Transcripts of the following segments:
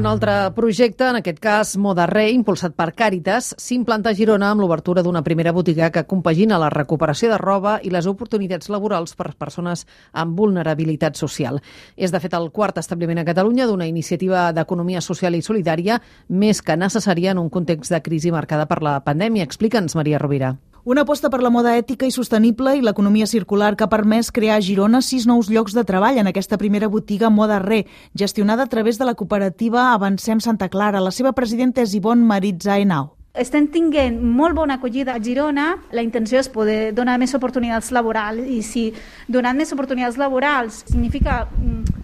un altre projecte, en aquest cas Moda Re, impulsat per Càritas, s'implanta a Girona amb l'obertura d'una primera botiga que compagina la recuperació de roba i les oportunitats laborals per persones amb vulnerabilitat social. És, de fet, el quart establiment a Catalunya d'una iniciativa d'economia social i solidària més que necessària en un context de crisi marcada per la pandèmia. Explica'ns, Maria Rovira. Una aposta per la moda ètica i sostenible i l'economia circular que ha permès crear a Girona 6 nous llocs de treball en aquesta primera botiga Moda Re, gestionada a través de la cooperativa Avancem Santa Clara. La seva presidenta és Ivonne Maritza Henao. Estem tinguent molt bona acollida a Girona. La intenció és poder donar més oportunitats laborals, i si donant més oportunitats laborals significa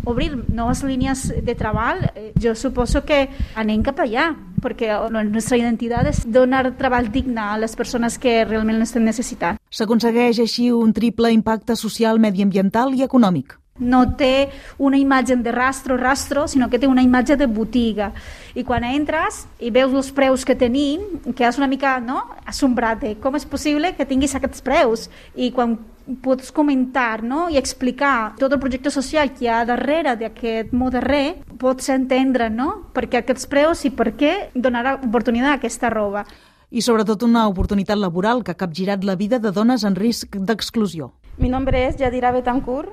obrir noves línies de treball, jo suposo que anem cap allà, perquè la nostra identitat és donar treball digne a les persones que realment l'estem necessitant. S'aconsegueix així un triple impacte social, mediambiental i econòmic. No té una imatge de rastro, sinó que té una imatge de botiga. I quan entres i veus els preus que tenim, quedes una mica assombrat de com és possible que tinguis aquests preus. I quan pots comentar i explicar tot el projecte social que hi ha darrere d'aquest Moda Re, pots entendre per què aquests preus i per què donar oportunitat a aquesta roba. I sobretot una oportunitat laboral que ha capgirat la vida de dones en risc d'exclusió. Mi nombre es Yadira Betancourt,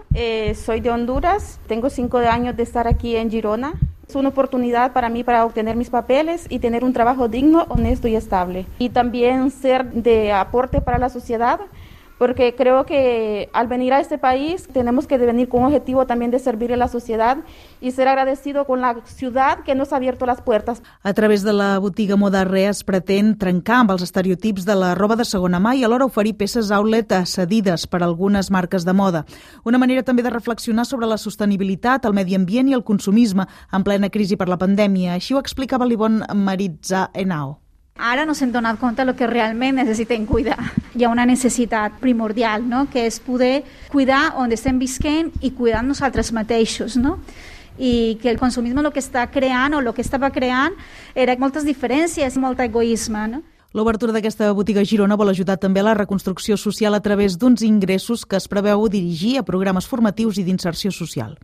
soy de Honduras, tengo 5 años de estar aquí en Girona. Es una oportunidad para mí para obtener mis papeles y tener un trabajo digno, honesto y estable. Y también ser de aporte para la sociedad, porque creo que al venir a este país tenemos que venir con un objetivo también de servir a la sociedad y ser agradecido con la ciudad que nos ha abierto las puertas. A través de la botiga Moda Re es pretén trencar amb els estereotips de la roba de segona mà i alhora oferir peces outlet cedides per algunes marques de moda. Una manera també de reflexionar sobre la sostenibilitat, el medi ambient i el consumisme en plena crisi per la pandèmia. Així ho explicava l'Ivonne Maritza Henao. Ara no s'hem donat compte del que realment necessitem cuidar. Hi ha una necessitat primordial, que és poder cuidar on estem visquent i cuidar nosaltres mateixos, i que el consumisme el que està creant o el que estava creant era moltes diferències, molt egoisme. L'obertura d'aquesta botiga a Girona vol ajudar també a la reconstrucció social a través d'uns ingressos que es preveu dirigir a programes formatius i d'inserció social.